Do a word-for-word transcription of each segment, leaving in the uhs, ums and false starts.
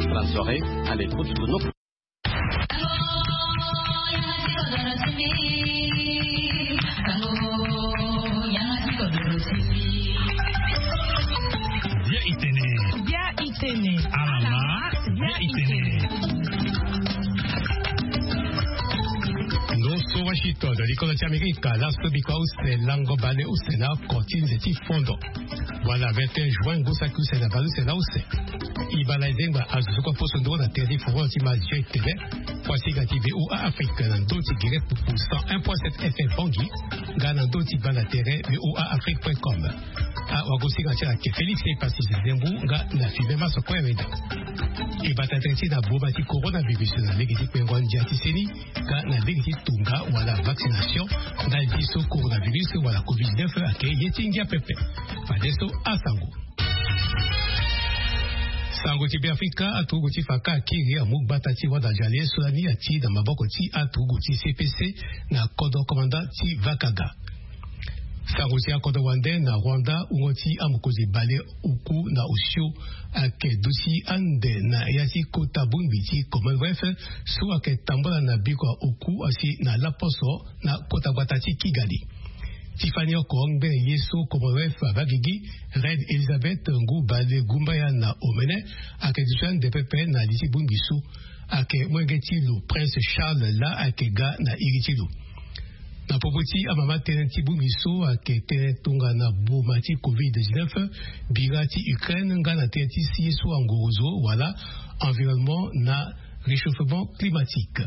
Bonne soirée, à l'écoute de nos. Bia itene. Bia itene. Alama. Bia itene. Ndo so Washington, likolo ti Amerika, laso bikua use lango bale use na oko ti nze ti fondo. Wala vingt et un juin, ngu saki use na bale use na use. Ibala ezengba azo so kue poso ndoro na tere ti forum ti Mazi tene. Kuasinga ti V O A Afrique na ndö ti Guinée Pupu cent un point sept F M Bangui, nga na ndö ti banda tere V O A Afrique point com. Awagosinga ti ala ayeke Félix Epassi Zembu nga na Fibe Maso Kue Weda. E bata tere ti na boma ti coronavirus na lege ti kpengo ndia ti seni, nga na lege ti tonga wala vaccination ndali ti so coronavirus wala covid dix-neuf ayeke ye ti ngia pepe. Fadeso asango. Sango ti Beafrika, aturugu ti faka akiri amu gbata ti wada jale so lani ati na maboko ti aturugu ti C P C na kodro commandant ti Vakaga. Sango ti akodro wande na Rwanda, wungo ti amokonzi bale oku na osio ayeke duti ande na ya ti kota bongbi ti Commonwealth so ayeke tambula na biko ya oku asi na laposo na kota gbata ti Kigali. Ti fani oko ngbene ye so Commonwealth abaa gigi, Reine Elizabeth ngu bale gumbaya na omene ayeke duti ande pepe na li ti bongbi so. Ayeke molenge ti lo Prince Charles laa ayeke ga na iri ti lo. Na popo ti amama tënë ti bongbi so ayeke tënë tongana boma ti covid dix-neuf, bira ti Ukraine nga na tënë ti si ye so angorozo wala environnement na réchauffement climatique.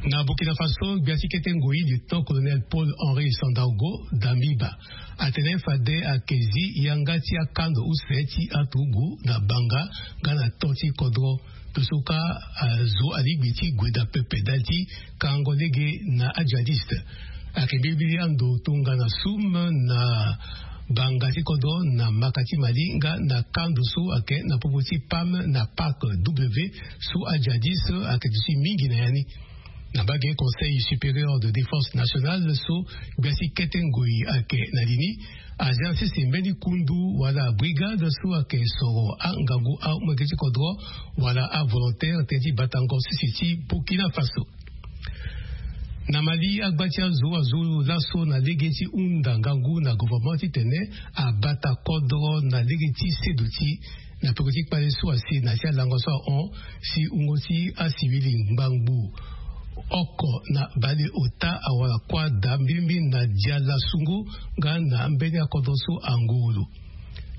Na Burkina Faso, gbia ti kete ngoi lieutenant colonel Paul Henri Sandaogo Damiba atene fade ayeke zi yanga ti akando use ti aturugu na banga nga na to ti kodro. Tosoka azo alingbi ti gue daa pepe ndali ti kango lege na ajihadiste. Ayeke mbilimbili ando tongana sum na banga ti kodro na maka ti Mali nga na kando so ayeke na popo ti PAM na PAK W so ajihadiste ayeke duti mingi na ya ni. Na mbage Conseil supérieur de défense nationale so gbia ti kete ngoi ayeke na li ni, azia sese mbeni kundu wala brigade so ayeke soro angangu amolenge ti kodro wala avolontaire tënë ti batango sese ti Burkina Faso. Na Mali, agba ti azo azo laso na lege ti hunda ngangu na gouvernement titene abata kodro na lege ti seduti na peko ti kpale so asi na ya ti alango so ahon si wungo ti asivili ngbangbo oko na baleota awara kuâ daa mbilimbili na dia lasungo nga na ambeni akodro so angoro lo.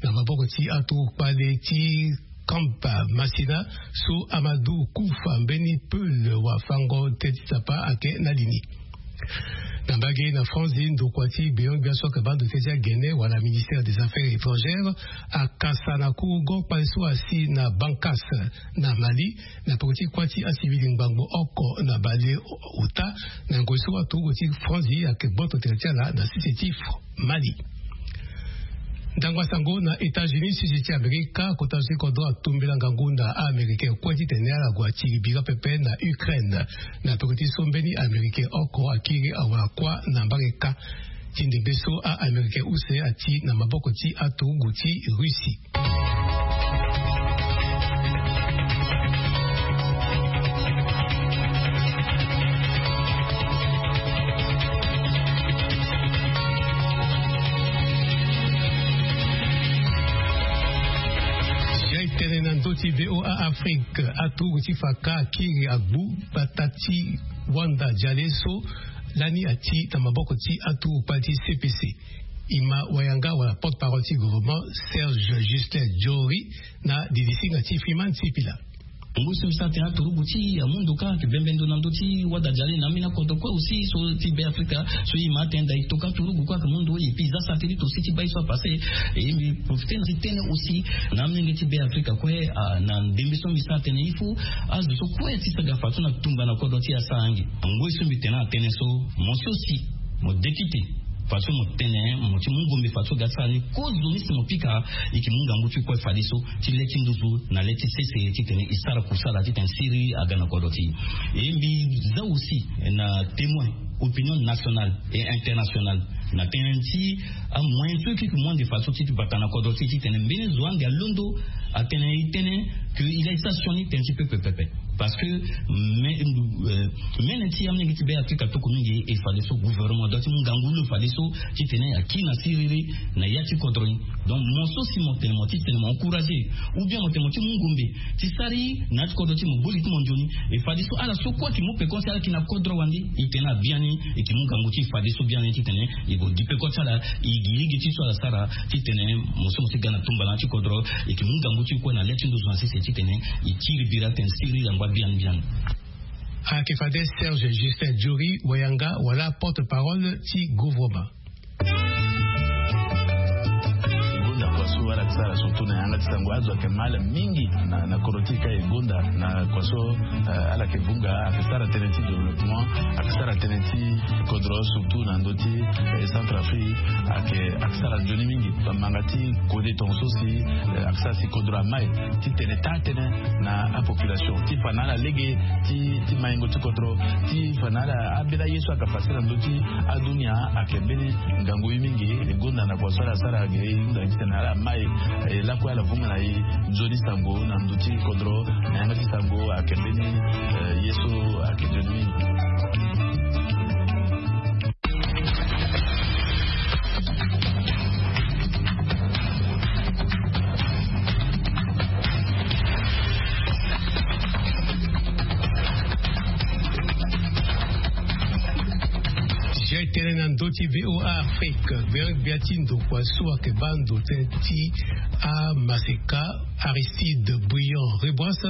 Na maboko ti aturugu kpale ti Camp Masina so Amadou Koufa mbeni peul wafango tënë ti Nzapa ayeke na li ni. Na mbage na France, ndokua ti gbeon-gbia so ayeke baa ndo tënë ti agene wala ministère des affaires étrangères akasa na kurugo kpale so asi na Bankas na Mali na peko ti kuâ ti asivili ngbangbo oko na baleota na ngoi so aturugu ti France ayeke gboto tere ti ala na sese ti Mali. Ndangba sango na États-Unis, sese ti Amerika, kota so ti kodro atumbela ngangu na a-Américain kue titene ala gue atiri bira pepe na Ukraine na peko ti so mbeni Américain oko akiri awara kuâ na mbage kâ. Ti ndembe so a-Américain use ati na maboko ti aturugu ti Russie. Ya etene na ndö ti V O A Afrique, aturugu ti faka akiri agbu gbata ti wanda jale so lani ati na maboko ti aturugu kpale ti C P C. E ma wayanga wala porte-parole ti gouvernement Serge Justin Jory na didi singa ti Freeman Sipila. Ngu so mbi sara tene aturugu ti amu ndo kâ ayeke bembe ndo na ndö ti wada jale na ambeni akodro kue aussi so ti Be Afrika so e ma atene da e toka aturugu kue ayeke mu ndo et puis e za satellite aussi ti baa ye so apasse. Et mbi profite na ti tene aussi na amolenge ti Be Afrika kue, ah, na ndembe so mbi sara tene il faut azo so kue ti saga fadeso na tumba na kodro ti e asara ange. Ngoi so mbi tene atene so mo si aussi mo dekite fadeso mo tene mo ti mu ngombe fadeso ga ti sara ni kozo ni si mo pika. E yeke mu ngangu ti kue fadeso ti le ti nduzu na le ti sese titene e sara kusala titene siriri aga na kodro ti e. E mbi za aussi na témoin opinion nationale et internationale na tënë ti amoyen so e yeke mu ande fadeso ti bata na kodro ti e titene mbeni zo ande alondo Atene e tene ke e laa e sara sioni tene ti pepe pepe. Parce que mene ti amolenge ti be afrika toko mingi e fadeso gouvernement doit ti mu ngangu lo fadeso ti tene aki na siriri na ya ti kodro ni. Donc mo so si mo tene mo ti tene mo encourage ou bien mo tene mo ti mu ngombe ti sara na ya ti kodro ti mo boli ti mo nzoni. E fadeso ala so kue aki mu peko si ala ki na kodro wande e tene abiani e ki mu ngangu ti fadeso biani ti tene e go gi peko ti ala e gi lege ti so ala sara ti tene mo so mo si ga na tumbala ti kodro e ki mu ngangu ti kue na le ti nduzu na sese ti tene e tiri bira tene siri yangba biani biani. Ayeke fade Serge Justin Diori wayanga wala porte-parole ti gouvrement. Gonda kua so ala yeke sara surtout na yanga ti sango azo ayeke mal mingi na koro ti e ka e gonda na kua so ala yeke vunga ayeke sara tënë ti développement ayeke sara tënë ti kodro surtout na ndö ti centre afrique. Ayeke sara nzoni mingi bamanga ti kode tonga so si ayeke sara si kodro amai ti tene taa tënë na apopulation ti fa na ala lege ti maingo ti kodro ti fa na ala ambeni aye so ayeke fasi na ndö ti adunia. Ayeke mbeni ngangu ye mingi e gonda na kua so ala sara ge e hunda ti tene ala mai lakue ala vunga na e nzoni sango na ndö ti kodro na yanga ti sango ayeke mbeni ye so ayeke nzoni mingi. Zia e tene na ndö ti voa afrique gbia gbia ti ndokua so ayeke baa ndo tënë ti amaseka aristide brillant reboise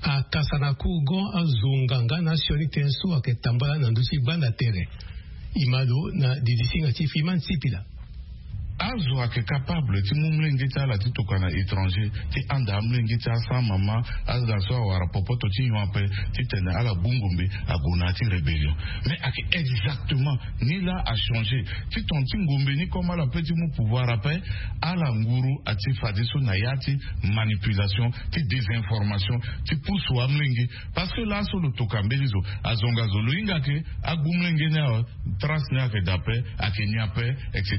akasa na courgon azonga nga na sioni tënë so ayeke tambala na ndö ti gbanda tere. Imalo na didisinga ti fima nsipila. Azo ayeke capable ti mu mlenge ti ala ti tokua na étranger ti anda amlenge ti asan mama. Azo na so awara popoto ti nyon ape ti tene ala gbu ngombe ague na ya ti rébellion. Mais ayeke exactement ni laa achangé ti tongana ti ngombe ni comme ala pe ti mu pouvoir ape ala nguru ati fadeso na ya ti manipulation ti désinformation ti pusu amlenge. Parce que laso lo toka mbeni zo azonga zo lo hinga ke agbu mlenge ni awe. Trace ni ayeke daa ape ayeke ni ape. Etc.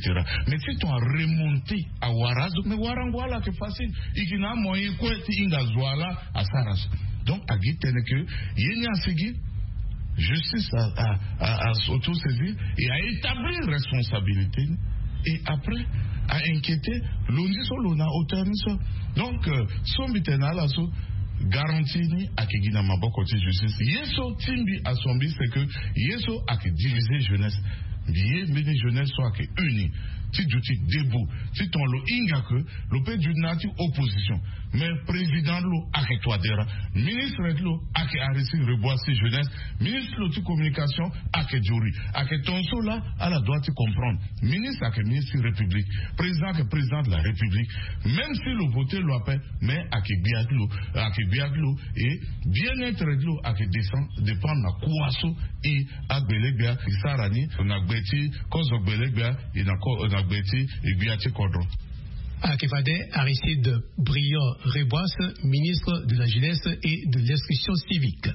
Mais si ton aremonte awara azo mais warango ala ayeke facile. E ke na amoyen kue ti hinga zo ala asara so. Donc agi tënë ke ye ni asigi justice a a a s'auto saisir et a établir responsabilité ni. Et après a inquiéter lo ni so lo na auteur ni so. Donc so mbi tene na ala so garantie ni ayeke gi na maboko ti justice ye so ti mbi asombi c'est que ye so ayeke diviser jeunesse. Mbi ye mbeni jeunesse so ayeke uni ti duti debout ti ton lo hinga ke lo pe duti na ya ti opposition. Mais président ti lo ayeke toi dera ministre ti lo ayeke arisi rebois si jeunesse ministre ti lo ti communication ayeke diori ayeke ton so laa. Ala doit ti comprendre ministre ayeke ministre ti république président ayeke président de la république. Même si lo vote lo ape mais ayeke gbia ti lo ayeke gbia ti lo et bien être ti lo ayeke descend dépend na kua so e agbelegbia e sara ni na gbe ti kozo gbelegbia e na gbe ti e gbia ti kodro. Ayeke fade aristide brillant reboise ministre de la jeunesse et de l'instruction civique.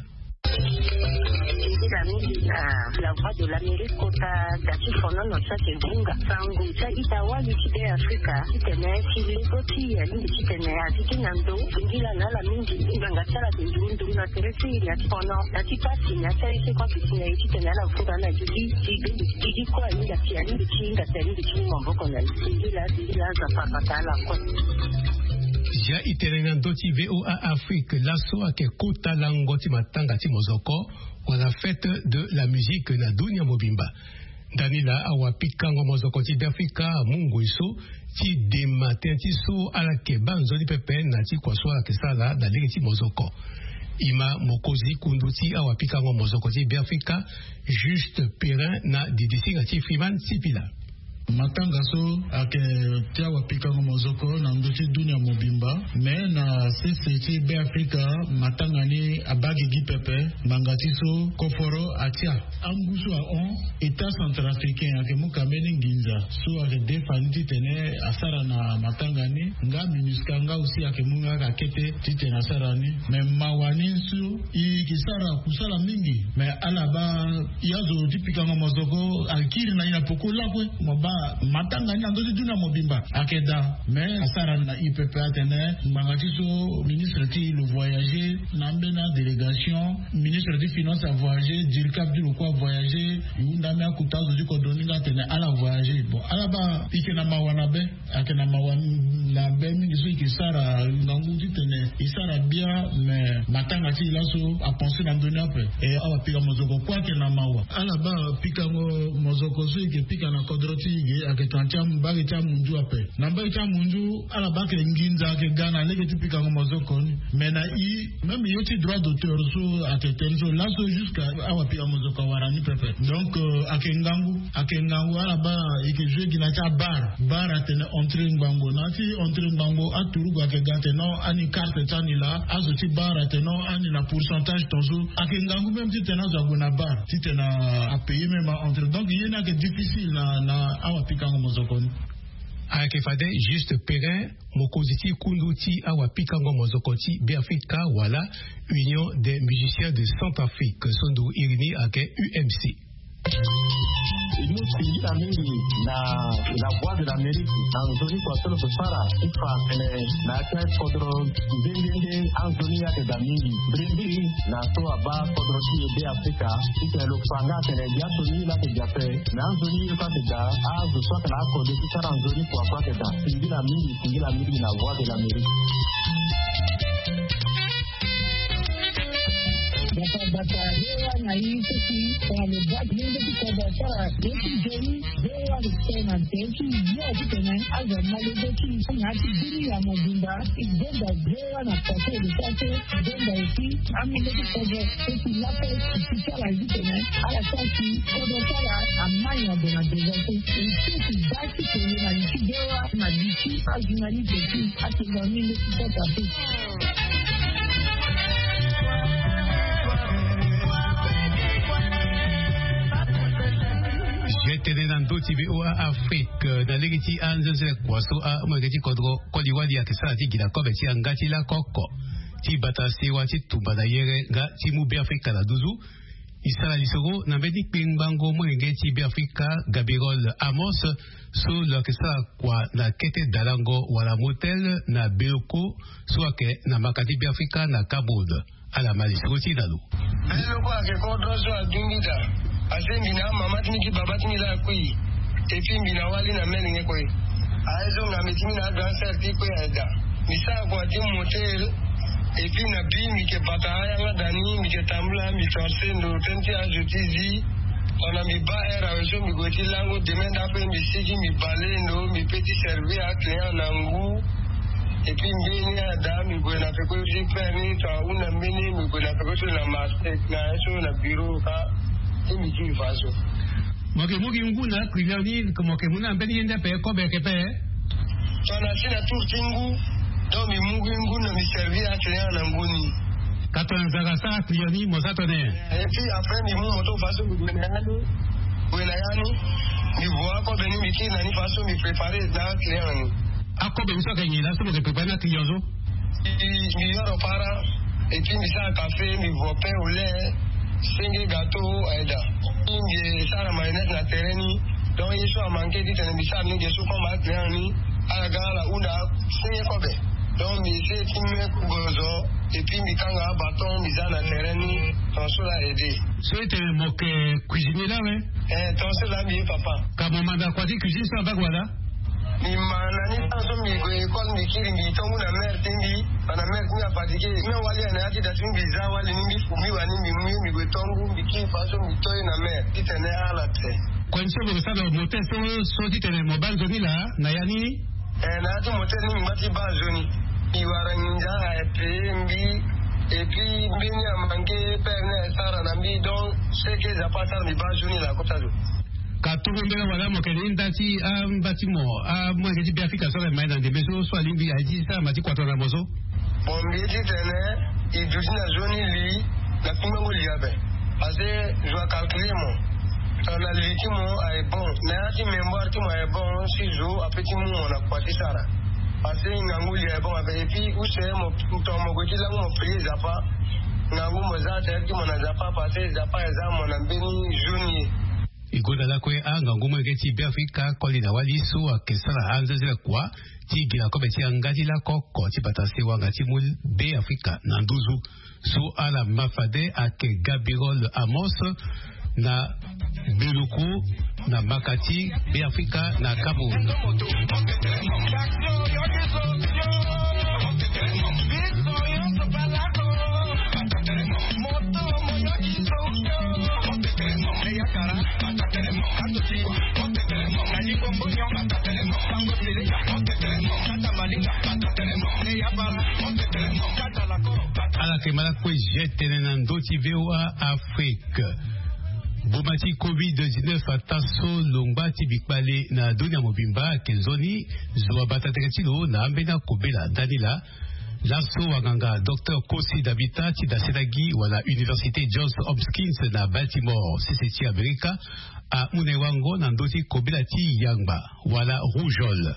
Nzila mingi na la voix de l'amérique kota da ti fonono so ayeke vunga sango ti aita wali ti be afrika titene ti lego ti e alingbi titene azi ti na ndo. Nzila na ala mingi ngbanga ti ala ayeke nduru nduru na tere ti e na ti fono na ti pasi na ti aye so e kue ayeke si na e titene ala vunga ala gigi ti gigi kue ahinga si alingbi ti hinga si alingbi ti mu maboko na e. Nzila nzila aza farbata ala kue. Zia e tene na ndö ti voa afrique laso ayeke kota lango ti matanga ti mozoko wala fête de la musique na dunia mobimba. Ndani laa awapikango mozoko ti be afrika amu ngoi so ti dema tënë ti so ala yeke baa nzoni pepe na ti kua so ala yeke sara na lege ti mozoko. E ma mokonzi kundu ti awapikango mozoko ti be afrika juste perrin na didisinga ti freeman sipila. Matanga so ayeke ti awapikango mozoko na ndö ti dunia mobimba me na sese ti be afrika matanga ni abaa gigi pepe. Ngbanga ti so koforo atia angu so ahon état centrafricain ayeke mu ka mbeni nginza so ayeke defa ni titene asara na matanga ni. Nga minusca nga aussi ayeke mu nga ka kete titene asara ni. Me mawa ni so e yeke sara kusala mingi me ala baa e azo ti pikango mozoko akiri na e na poko lakue. Mo baa Matanga ni na ndö ti dunia mobimba ayeke daa. Mais asara na ipepe atene ngbanga ti so ministre ti lo voyager na ambeni adélégation, ministre ti finance avoyager, dircap ti lo kue avoyager. E hunda ambeni akuta azo ti kodro ni nga atene ala voyager. Bon, ala baa e yeke na mawa na be. Ayeke na mawa na be mingi so e yeke sara ngangu titene e sara bia. Mais matanga ti e laso apense na ndö ni ape. E awa pika mozoko kue ayeke na mawa. Ala baa pikango mozoko so e yeke pika na kodro ti e ge ayeke tongana ti mbage ti amunzu ape. Na mbage ti amunzu ala baa ayeke nginza ayeke ga na lege ti pikango mozoko ni. Mais na e, même ye ti droit d'auteur so ayeke tene so laso jusqu'à awa pika mozoko awara ni pepe. Donc ayeke ngangu. Ayeke ngangu ala baa e yeke joue gi na ya ti abar. Bar atene entrée ngbangbo na ya ti entrée ngbangbo aturugu ayeke ga atene non ani carte ti ani laa. Azo ti bar atene non ani na pourcentage tongaso. Ayeke ngangu même titene azo ague na bar titene apayer même a entrée. Donc ye ni ayeke difficile na na awa pikango mozoko ni. Ayeke fade Juste Perrin, mokonzi ti kundu ti awa pikango mozoko ti Beafrika wala Union des musiciens de Centrafrique so ndo iri ni ayeke U M C. E mu singila mingi na la voix de l'Amérique na nzoni kua so lo yeke sara ti fa tene na ya ti akodro nde nde nde anzoni ayeke daa mingi. Biri biri na so abaa kodro ti e Beafrika titene lo fa nga atene biaso ni laa ayeke daa ape. Na anzoni ye kue ayeke daa azo so ayeke na akode ti sara nzoni kua kue ayeke daa. Singila mingi, singila mingi na voix de l'Amérique. Bata bata rewa na ye so si tongana lo baa ti lenge ti kodro asara ye ti nzoni. Rewa lo tene na nze ti yo titene azo ama lege ti na ya ti bini ya mobimba. E donda rewa na kua so e lo sara so. Donda aussi amolenge ti kodro so si lape ti ti ti ala ye titene ala sara si kodro ti ala amai na gue na deza so. E so ti baa ti kende na li ti rewa na li ti ajournaliste ti atonga amolenge ti kota so. Je tene na ndö ti V O A Afrique na lege ti anzenzele kua so amolenge ti kodro koli wali ayeke sara ti gi na kobe ti yanga ti lako oko ti bata sewa ti tumba na yere nga ti mu Beafrika na nduzu. E sara lisoro na mbeni kpengbango molenge ti Beafrika Gabriel Amos so lo yeke sara kua na kete dalango wala motel na Beloko so ayeke na maka ti Beafrika na Cameroun. Ala ma lisoro ti e na lo. Beloko ayeke kodro so adu mbi daa. Parce que mbi na amama ti mbi ti baba ti mbi laa akui. Et puis mbi na wali na mene nyen kue. Aye so ngambe ti mbi na grand sœur ti kue aye daa. Mbi sara kua ti motel. Et puis na bi mbi yeke bata ayanga daa ni, mbi yeke tambula, mbi torse ndo tënë ti azo ti zi. Tongana mbi baa heure awe so mbi gue ti lango, demain nda ape mbi sigi mbi bale ndo, mbi peut ti servir aclient na ngu. Et puis mbeni ada mbi gue na peko ti père ni, tongana ahunda mbeni mbi gue na peko ti na marché na ye so na bureau ka. Ti mbi ti mbi fa so. Mo yeke mu gi ngu na client ni, mo yeke mu na mbeni ye nde ape kobe yeke pe? Tongana si na tour ti ngu, donc mbi mu gi ngu na mbi servir aclient na ngu ni. Ka tongana nzara asara client ni mo za tongana nyen? Et puis après mbi mu moto fa so mbi gue na ya ni. Gue na ya ni. Mbi vo akobe ni mbi kiri na ni fa so mbi préparer na aclient ni. Akobe ni so ayeke nyen laa so mo yeke préparer na client so? Mbi mbi yoro para. Et puis mbi sara café, mbi vo pain au lait. Senge gâteau aye daa. Mbi sara mayonnaise na terrain ni. Donc ye so amanke titene mbi sara ni ge so comme aclient ni, ala ga ala hunda senge kobe. Donc mbi essayer ti me gonzo. Et puis mbi kanga abâton mbi za na terrain ni. Tongaso laa aide. So e tene mo yeke cuisinier laa awe? Eh, tongaso laa mbi ye papa. Ka mo manda kua ti cuisine so na mbage wala? Mbi ma na ni, ntango so mbi gue école mbi kiri mbi tongu na mère ti mbi. Bana mère ti mbi afatigue. Même wali aye na ya ti da ti mbi, mbi za wali ni, mbi fu mbi wani mbi mu ye mbi gue tongu, mbi kiri fa so mbi to ye na mère titene ala te. Kua ni so mo yeke sara na motel so, so titene mo baa nzoni laa na ya ni? Eh, na ya ti motel ni mbi ngba ti baa nzoni. Mbi wara nginza aye payer mbi. Et puis mbeni amanke père ni aye sara na mbi, donc ce que Nzapa asara mbi baa nzoni laa kota zo. Ka tongo mbela wala mo yeke na hinda ti amba ti mo, amolenge ti Beafrika so ala mai na ndembe so, so alingbi aye ti sara ma ti kua tongana mo so? Bon, mbi ye titene e duti na nzoni li na kpingbango li ape. Parce que zo acalculer mo. Tongana li ti mo aye bon, na ya ti mémoire ti mo aye bon, si zo apeut ti mu mo na kua ti sara. Parce que ngangu li aye bon ape. Et puis use mo, tongana mo gue ti lango mo prier Nzapa, ngangu mo za tere ti mo na Nzapa, parce que Nzapa aye za mo na mbeni nzoni ye. E gonda lakue angangu molenge ti Beafrika koli na wali so ayeke sara anzenze kua ti gi na kobe ti yanga ti lako oko ti bata sewa nga ti mu Beafrika na nduzu. So ala ma fade ayeke Gabirol Amos na Beluku na mbaka ti Beafrika na Cameroun. Ala yeke ma lakue zia tënë na ndö ti VOA Afrique. Boma ti covid dix-neuf ataa so longba ti bikpale na dunia mobimba ayeke nzoni zo abata tere ti lo na ambeni akobela ndani laa. Laso wanganga Docteur Kosi Davita ti daseta gi wala Université Johns Hopkins na Baltimore, sese ti Amerika, amu na e wango na ndö ti kobela ti yangba wala rougeole.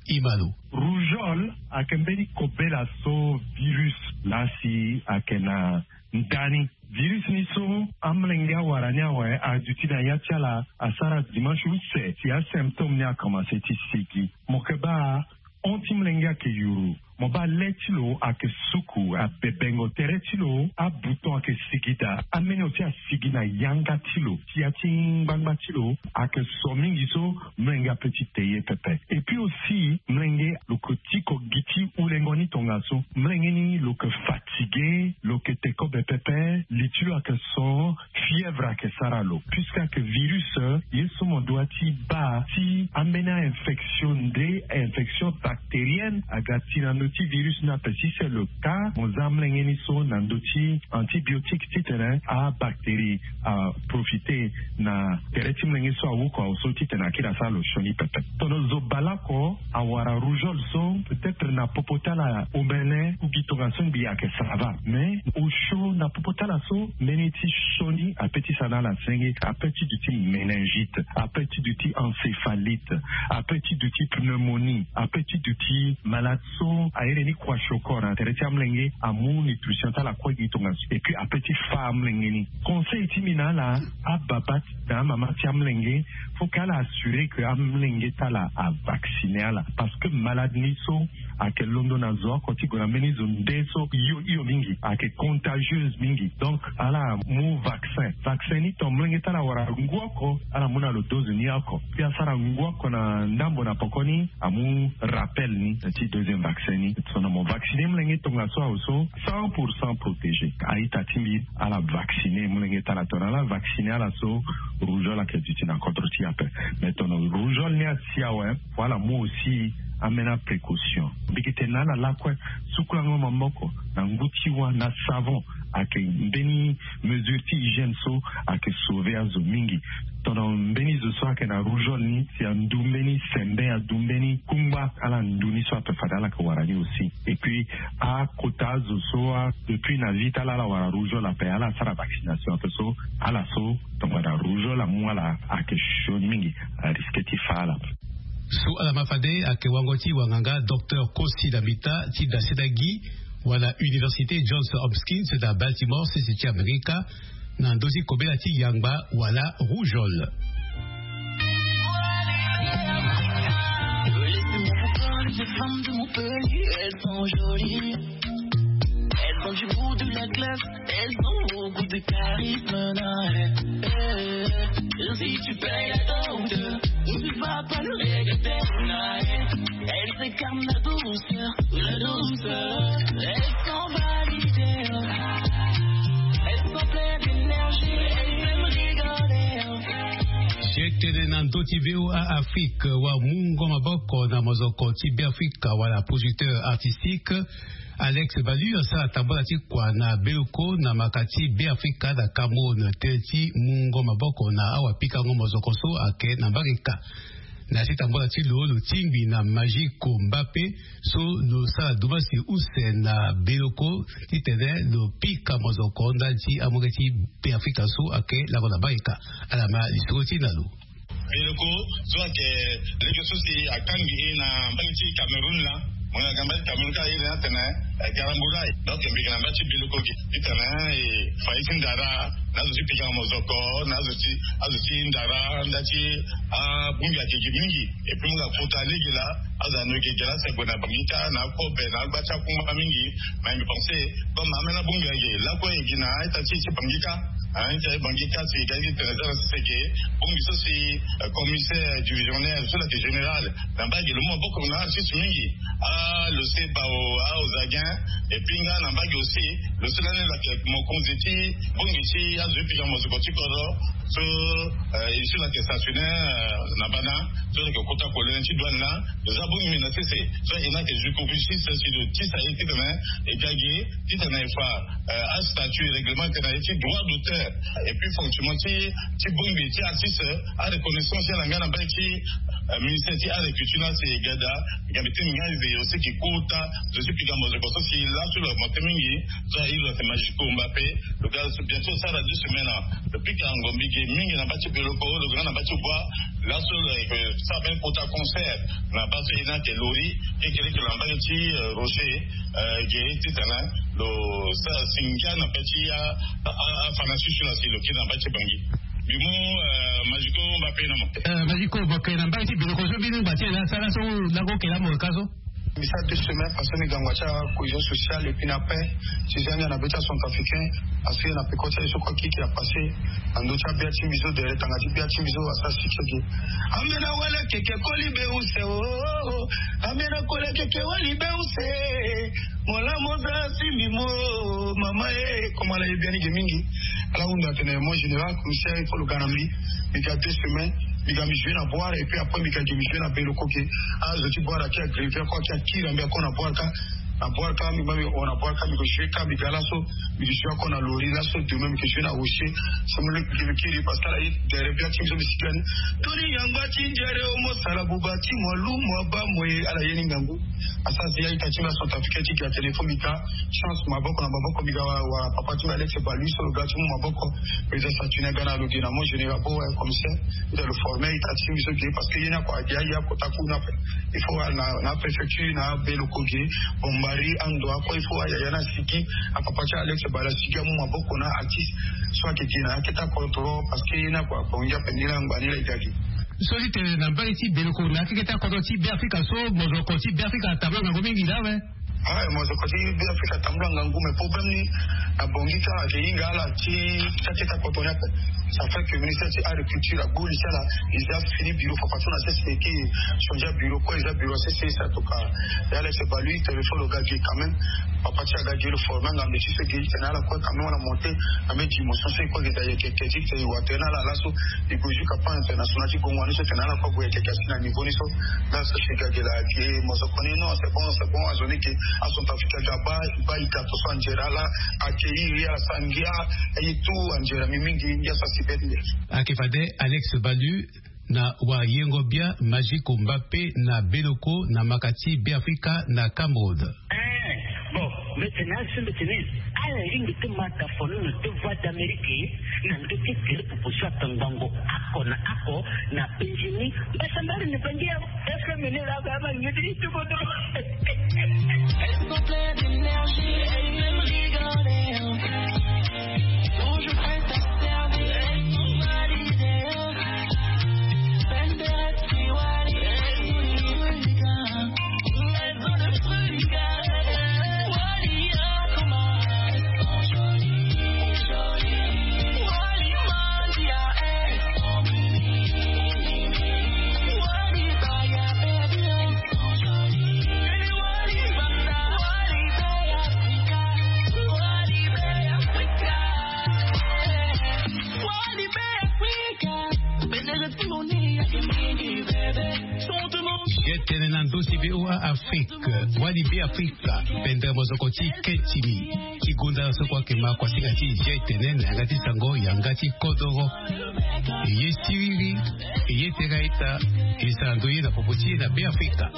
Imalo. Rougeole ayeke mbeni kobela so virus laa si ayeke na ndani. Virus ni so amolenge awara ni awe aduti na ya ti ala asara dimanche use si asymptôme ni akomanse ti sigi. Mo yeke baa hon ti molenge ayeke yuru. Mo baa le ti lo ayeke suku, abebengo. Tere ti lo abouton ayeke sigi daa. Ameni oti asigi na yanga ti lo, ti ya ti ngbangba ti lo ayeke so mingi so molenge ape ti te ye pepe. Et puis aussi, molenge lo yeke tiko gi ti hulengo ni tongaso. Molenge ni lo yeke fatigué, lo yeke te kobe pepe, li ti lo ayeke so, fièvre ayeke sara lo. Puisque ayeke virus, ye so mo doit ti baa ti ambeni a-infection nde infection bactérienne aga ti na ndö ti virus ni ape. Si c'est le cas, mo za amolenge ni so na ndö ti antibiotique titene abactérie aprofite na tere ti molenge so awuku awe so titene akiri asara lo sioni pepe. Tono zo baleoko awara rougeole so, peut-être na popo ti ala omene ku gi tongaso ngbii ayeke ça va. Mais osio na popo ti ala so, mbeni ti sioni ape ti sara na ala senge, ape ti duti méningite, ape ti duti encéphalite, ape ti duti pneumonie, ape ti duti malade so ahere ni kwasioko na tere ti amolenge, amu nutrition ti ala kue gi tongaso. Et puis ape ti fa amolenge ni. Conseil ti mbi na ala, ababa ti na amama ti amolenge, faut que ala assurer que amolenge ti ala avacciner ala, parce que malade ni so ayeke londo na zo oko ti gue na mbeni zo nde so hio hio mingi, ayeke contagieuse mingi. Donc ala mu vaccin. Vaccin ni, ton molenge ti ala awara ngu oko, ala mu na lo dose ni oko. Puis asara ngu oko na ndambo na poko ni, amu rappel ni ti deuxième vaccin ni. Tono mo vacciner molenge tongaso awe so, cent pour cent protégé. A-ita ti mbi, ala vacciner molenge ti ala. Tono ala vacciner ala so, rougeole ayeke duti na kodro ti e ape. Mais tono rougeole ni asi awe, faut ala mu aussi ambeni aprécaution. Mbi yeke tene na ala lakue, sukulango maboko na ngu ti wâ na savon, ayeke mbeni mesure ti hygiène so ayeke sauver azo mingi. Tono mbeni zo so ayeke na rougeole ni, si andu mbeni sembe, andu mbeni kungba, ala ndu ni so ape fade ala yeke wara ni aussi. Et puis akota azo so, depuis na vie ti ala ala wara rougeole ape, ala sara vaccination ape so, ala so tongana rougeole amu ala, ayeke sioni mingi, arisque ti fa ala. So ala ma fade ayeke wango ti wanganga Docteur Kosi Davita ti daseta gi wala Université Johns Hopkins na Baltimore, sese ti Amerika, na ndö ti kobela ti yangba wala rougeole. Les femmes de Montpellier, elles sont jolies. Elles ont du goût, de la classe, elles ont beaucoup de charisme. Non, eh, eh. Si tu payes la dot, tu vas pas le regretter. Non, eh. Elles incarnent la douceur, la douceur. Elles sont validées. Elles sont pleines d'énergie. Elles aiment rigoler. Sietene na ndö ti VOA Afrique, wa mungo maboko na mozoko ti Beafrika wala producteur artistique. Alex Balu asara tambola ti kua na Beluko na maka ti Beafrika na Cameroun, tënë ti mungo maboko na awapikango mozoko so ayeke na Mbarika. Na ya ti tambola ti lo, lo tingbi na Magico Mbappé so lo sara dumasi use na Beluko titene lo pika mozoko ndali ti amolenge ti Beafrika so ayeke lango na Mbarika. Ala ma lisoro ti e na lo. Beluko so ayeke lege so si akangi e na mbage ti Cameroun laa, Mo yeke na mba ti Cameroun ka iri ni atene, eh, Garambulai. Donc mbi yeke na mba ti Belokogi titene, eh, fa ye ti ndara na azo ti pikango mozoko na azo ti, azo ti ndara nda ti abongbi ayeke gi mingi. Et puis mo yeke na kota lege laa, azo anu yeke gi laa si ague na Bangui kâ na akobe na agba ti akungba mingi. Mais mbi pense comme ambeni abongbi ayeke gi lakue, e gi na ita ti e ti Bangui kâ. Hein, ti aye Bangui kâ si e ga ti tene zara sese ke bongbi so si, euh, commissaire divisionnaire so lo yeke général na mba gi lo mu maboko na artiste mingi. Ah, lo se bao, ah, aux Aguin. Et puis nga na mba gi aussi, lo se lani lo yeke mokonzi ti bongbi ti azo ti pikango mozoko ti kodro so, euh, e so lo yeke stationnaire, euh, na bana so lo yeke kota kolene ti douane laa. Lo za bongbi na sese so e na yeke justice si lo tisa ye titene e ga gi titene e fa, euh, astatut règlement tene ye ti droit d'auteur. Et puis fonctionnement ti, ti bongbi ti artiste, areconnaissance ti ala nga na mbai ti, euh, ministère ti agriculture na si e ga daa. Nga mbi tene nga e veille aussi ke kota zo ti pikango mozoko so si laso lo augmente mingi. So aye lo yeke Magico Mbappé, lo ga bientôt sara deux semaines. Lo pikango mbi gi mingi na mba ti Belokogi, lo ga na mba ti Bois. Laso lo yeke sara mbeni kota concert na baa so e na yeke Lori, kekereke na mba ti, euh, Rocher, euh, ge titene lo sara si ngia na mba ti a, a, a, afa na susu na si lo kiri na mba ti Bangui. Mbi mu, euh, Magico Mbappé na mo. Euh, Magico Mbappé na mba ti Belokogi so mbeni ngba ti e laa asara so lako kela mo ka so. Mbi sara deux semaines parce que mbi ga ngba ti acohésion sociale et puis na paix. Si zia ngia na be ti acentrafricain, parce que na peko ti aye so kue kiki apassé na ndö ti abia ti mbi so, dere tanga ti bia ti mbi so asara si ti ege. Ambeni awele keke koli be use o, ambeni akole keke wali be use. Mo la mo za si mbi mo, mama e, comme ala ye biani ge mingi. Ala hunda atene, mon général, commissaire, il faut lo ga na mbi. Mbi ga deux semaines, mbi ga mbi jouer na Bouar, et puis après mbi ga gi mbi jouer na Belokogi. Ah, zo ti Bouar aki agrivé, ako aki akiri ambi ako na Bouar kâ. Na Bouar kâ, mbi ma mbi hon na Bouar kâ, mbi ke jouer kâ, mbi ga laso, mbi ke jouer ako na Lori, laso demain mbi ke jouer na Rocher. So mbi lo mbi kiri, parce que ala ye derrière bia ti mbi so mbi sigi ani. Toni yangba ti njere o mo sala buba ti mo alu mo aba mo ye, ala ye ni ngangu. Asara si aita ti mbi acentrafricain ti ga téléphone mbi ga chance maboko na maboko mbi ga wa, wa papa ti mbi Alex Balu so lo ga ti mu maboko. Président Saturnin ga na lo gi na mo général bo wa commissaire. Ita lo former ita ti mbi so ge parce que ye ni ako agi aye akota ku na pe. Il faut na, na préfecture na Belokogi, Bombari, Andoua, ako il faut ayaya na sigi. Apapa ti Alex Balu asigi amu maboko na artiste so ayeke gi na aketa kodro parce que ye ni ako abongi ape ni la ngba ni la e ga gi. So ti tene na mbage ti Belokogi na akeketa kodro ti Beafrika so mozoko ti Beafrika atambula ngangu mingi laa awe. Ah, mozoko ti Beafrika atambula ngangu, mais problème ni na Bangui kâ ayeke hinga ala ti akeketa kodro ni ape. Ça fait que ministère ti agriculture agbu li ti ala, e za fini bureau fafason na sese e ke changer bureau kue, e za bureau sese e sa toka. E Alex Balu téléphone lo ga gi quand même. Papa ti aga gi lo former ngambe ti so gi tene ala kue quand même ala monter na mbe gi motion so e kue gi da yeke keti tene e wa tene ala laso. E gue jusqu'à pan international ti gongo ani so tene ala kue gue yeke kasi na niveau ni so. Là so si ga gi la gi mozoko ni non, c'est bon, c'est bon, azo ni ke acentrafricain ga ba, ba e ga to so anjera la. Accueillir ala sangia. Aye tout anjera mi mingi ngia so asi beti nde. Ayeke fade Alex Balu na wayengo bia Magico Mbappé na Beloko na maka ti Beafrika na Cameroun. Eh, bon, mbeti na azo mbeti ni. Ala hinga ti ma tafono na deux voix d'Amérique na ndö ti gere proposition ata ngbongo ako na ako na Benjamin. Mbasa mbari ni bangi ya F M ni la ba ma ngedi ti bodo. Elles sont pleines d'énergie, elles aiment rigoler. Toujours prêtes à servir, elles sont validaires. Ye tene na ndo ti V O A Afrique, wali Beafrika, pendere mozoko ti keti ni, ti gonda so kua ke ma kuasinga ti ye tene na yanga ti sango, yanga ti kodoro. Ye siriri, ye tera ita, e sara ndo ye na popo ti ye na Beafrika.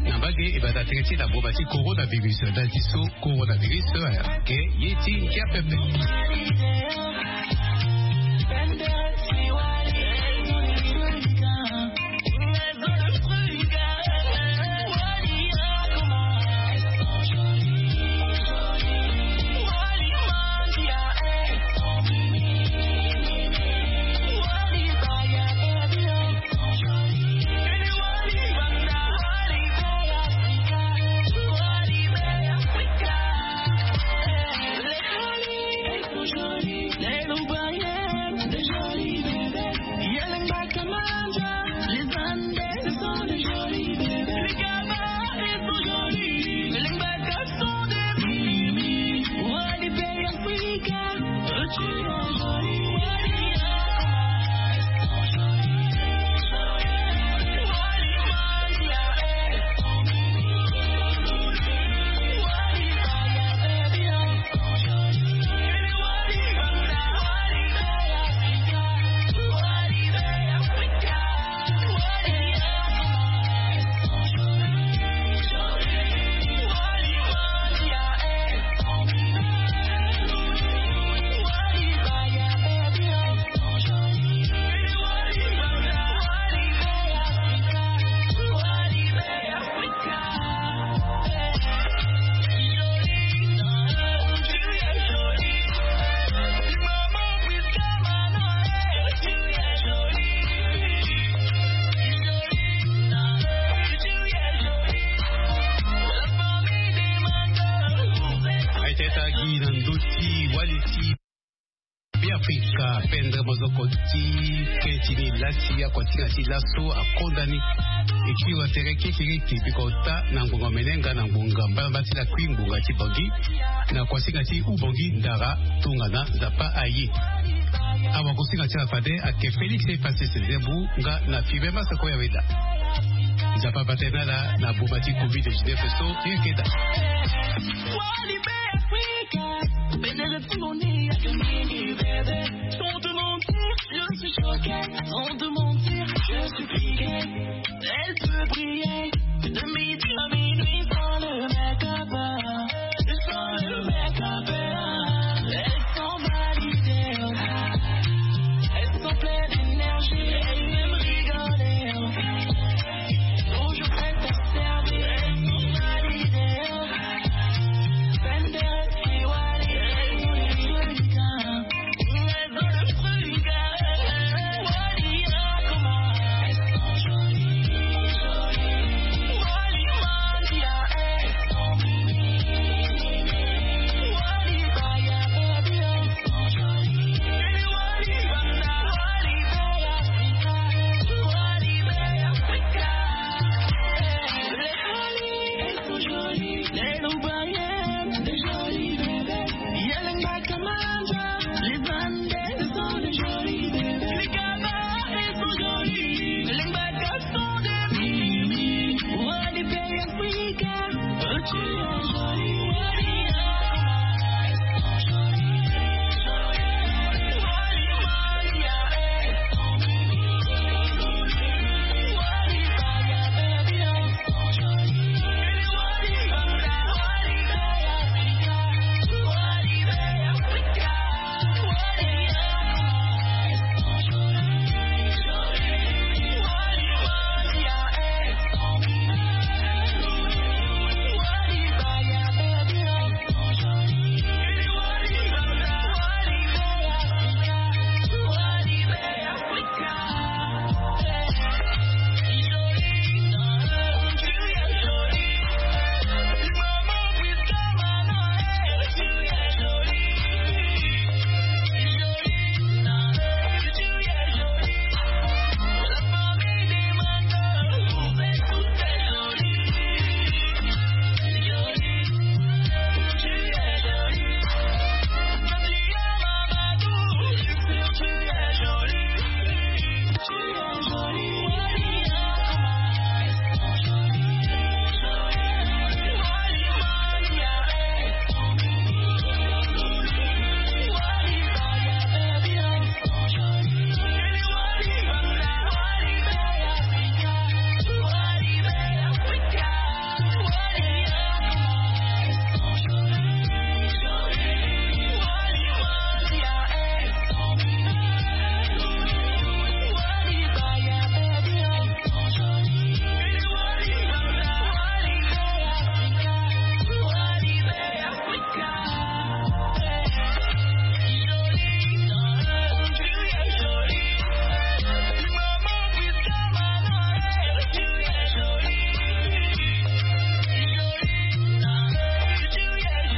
Na mbage e bata tere ti na boma ti coronavirus, ndali ti so coronavirus ayeke ye ti ngia pepe. Be afrika pendre mozoko ti keti ni lati akotinga ti laso akonda ni. Ekiri wa tere kekereke biko ota na ngbonga mene nga na ngbonga mbalamba ti lakui ngbonga ti bongi. Na kosinga ti ubongi ndara tongana nzapa aye. Awa kosinga ti ala fade ake félix efase sezembu nga na fibe masako ya weda. Nzapa paternala na boma ti covid dix-neuf so yekeda.